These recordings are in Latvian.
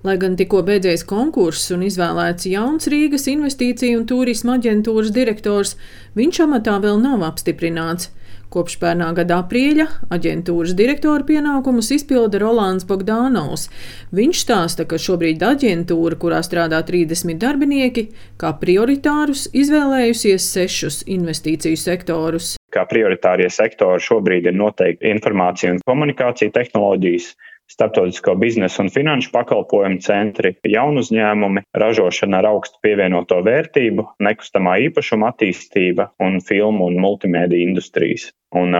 Lai gan tikko beidzies konkurss un izvēlēts jauns Rīgas investīciju un turisma aģentūras direktors, viņš amatā vēl nav apstiprināts. Kopš pērnā gada aprīļa aģentūras direktora pienākumus izpilda Rolands Bogdanovs. Viņš stāsta, ka šobrīd aģentūra, kurā strādā 30 darbinieki, kā prioritārus izvēlējusies 6 investīciju sektorus. Kā prioritārie sektori šobrīd ir noteikti informācija un komunikācija tehnoloģijas, starptautisko biznesu un finanšu pakalpojumu centri, jaunu uzņēmumi, ražošana ar augstu pievienoto vērtību, nekustamā īpašuma attīstība un filmu un multimēdija industrijas. Un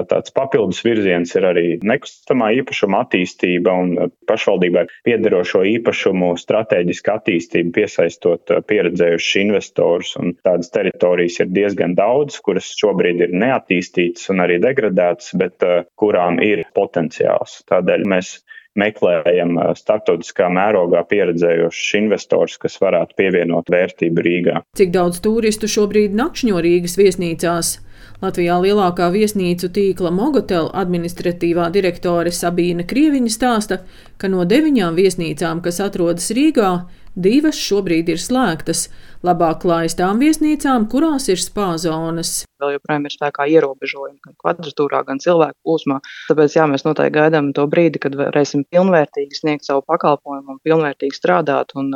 tāds papildus virziens ir arī nekustamā īpašuma attīstība un pašvaldībai piederošo īpašumu stratēģiska attīstība, piesaistot pieredzējušus investorus. Un tādas teritorijas ir diezgan daudz, kuras šobrīd ir neattīstītas un arī degradētas, bet kurām ir potenciāls. Tādēļ mēs meklējam starptautiskā mērogā pieredzējošus investors, kas varētu pievienot vērtību Rīgā. Cik daudz turistu šobrīd nakšņo Rīgas viesnīcās? Latvijā lielākā viesnīcu tīkla Mogotel administratīvā direktore Sabīna Krieviņa stāsta, ka no 9 viesnīcām, kas atrodas Rīgā, 2 šobrīd ir slēgtas. Labāk klājas tām viesnīcām, kurās ir spā zonas. Vēl joprojām ir spēkā ierobežojumi gan kvadratūrā, gan cilvēku plūsmā. Tāpēc mēs noteikti gaidām to brīdi, kad varēsim pilnvērtīgi sniegt savu pakalpojumu un pilnvērtīgi strādāt. Un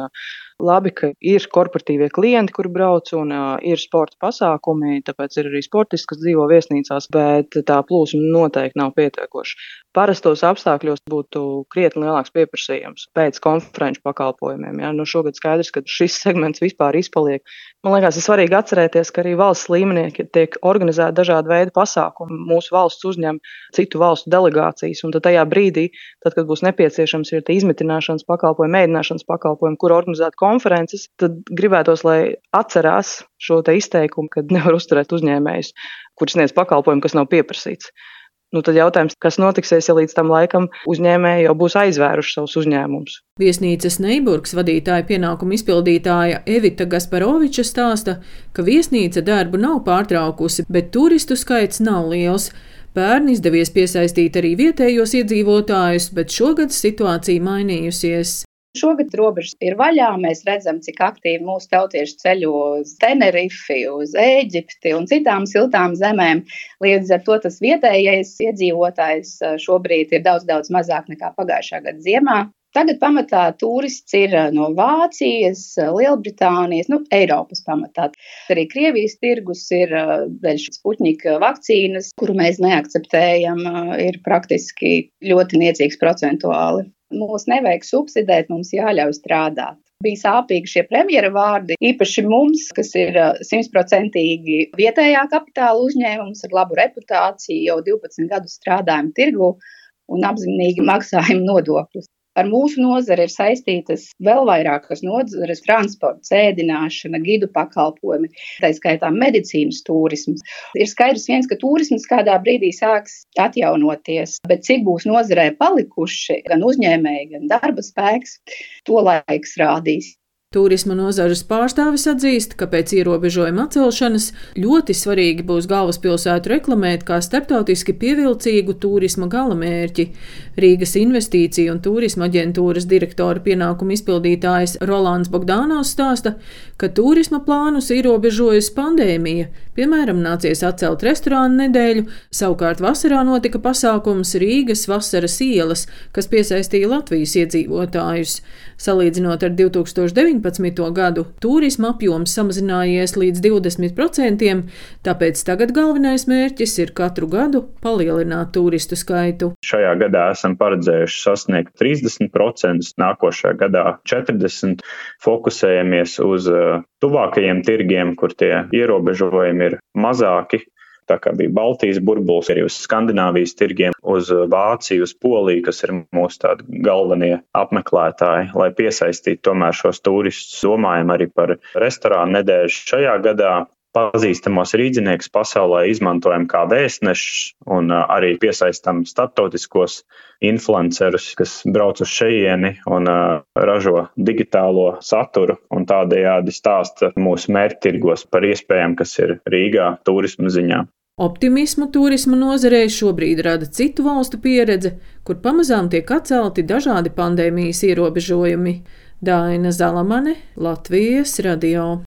labi, ka ir korporatīvie klienti, kuri brauc, un ir sporta pasākumi, tāpēc ir arī sportisti, kas dzīvo viesnīcās, bet tā plūsma noteikti nav pietiekoša. Parastos apstākļos būtu krietni lielāks pieprasījums pēc konferenču pakalpojumiem. Ja? Šogad skaidrs, ka šis segments vispār izpaliek. Man liekas, ir svarīgi atcerēties, ka arī valsts līmenī tiek organizēti dažādi veidi pasākumi. Mūsu valsts uzņem citu valstu delegācijas, un tad tajā brīdī, kad būs nepieciešams ir izmitināšanas pakalpojumi, ēdināšanas pakalpojumi, kur organizēt konferences, tad gribētos, lai atcerās šo te izteikumu, kad nevar uzturēt uzņēmējus, kuri sniedz pakalpojumu, kas nav pieprasīts. Tad jautājums, kas notiksies, ja līdz tam laikam uzņēmēji jau būs aizvēruši savus uzņēmumus. Viesnīcas Neiburgas vadītāja pienākumu izpildītāja Evita Gasparoviča stāsta, ka viesnīca darbu nav pārtraukusi, bet turistu skaits nav liels. Pērn izdevies piesaistīt arī vietējos iedzīvotājus, bet šogad situācija mainījusies. Šogad robežas ir vaļā, mēs redzam, cik aktīvi mūsu tautieši ceļo uz Tenerifi, uz Ēģipti un citām siltām zemēm. Līdz ar to tas vietējais iedzīvotājs šobrīd ir daudz mazāk nekā pagājušā gada ziemā. Tagad pamatā turists ir no Vācijas, Lielbritānijas, Eiropas pamatā. Arī Krievijas tirgus ir dēļ Sputņika vakcīnas, kuru mēs neakceptējam, ir praktiski ļoti niecīgs procentuāli. Mūs nevajag subsidēt, mums jāļauj strādāt. Bija sāpīgi šie premjera vārdi, īpaši mums, kas ir 100% vietējā kapitāla uzņēmums ar labu reputāciju, jau 12 gadus strādājam tirgu un apzinīgi maksājam nodokļus. Ar mūsu nozari ir saistītas vēl vairākas nozares - transports, ēdināšana, gidu pakalpojumi, tā skaitā medicīnas turisms. Ir skaidrs viens, ka turisms kādā brīdī sāks atjaunoties, bet cik būs nozarē palikuši gan uzņēmēji, gan darba spēks, to laiks rādīs. Turisma nozares pārstāvis atzīst, ka pēc ierobežojuma atcelšanas ļoti svarīgi būs galvaspilsētu reklamēt kā starptautiski pievilcīgu turisma galamērķi. Rīgas investīciju un turisma aģentūras direktora pienākumu izpildītājs Rolands Bogdanovs stāsta, ka turisma plānus ierobežojas pandēmija. Piemēram, nācies atcelt restorānu nedēļu, savukārt vasarā notika pasākums Rīgas vasaras ielas, kas piesaistīja Latvijas iedzīvotājus. Salīdzinot ar 2019. gadu, turisma apjoms samazinājies līdz 20%, tāpēc tagad galvenais mērķis ir katru gadu palielināt turistu skaitu. Šajā gadā esam paredzējuši sasniegt 30%, nākošajā gadā 40%. Fokusējamies uz tuvākajiem tirgiem, kur tie ierobežojumi ir mazāki. Tā kā bija Baltijas burbulis, arī uz Skandināvijas tirgiem, uz Vāciju, uz Poliju, kas ir mūsu tādi galvenie apmeklētāji, lai piesaistītu tomēr šos turistus. Domājam arī par restorānu nedēļu šajā gadā. Pazīstamos rīdziniekus pasaulē izmantojam kā vēstnešus un arī piesaistam starptautiskos influencerus, kas brauc uz šejieni un ražo digitālo saturu un tādējādi stāsta mūsu mērķtirgos par iespējām, kas ir Rīgā turisma ziņā. Optimismu turisma nozarei šobrīd rada citu valstu pieredze, kur pamazām tiek atcelti dažādi pandēmijas ierobežojumi. Daina Zalamane, Latvijas radio.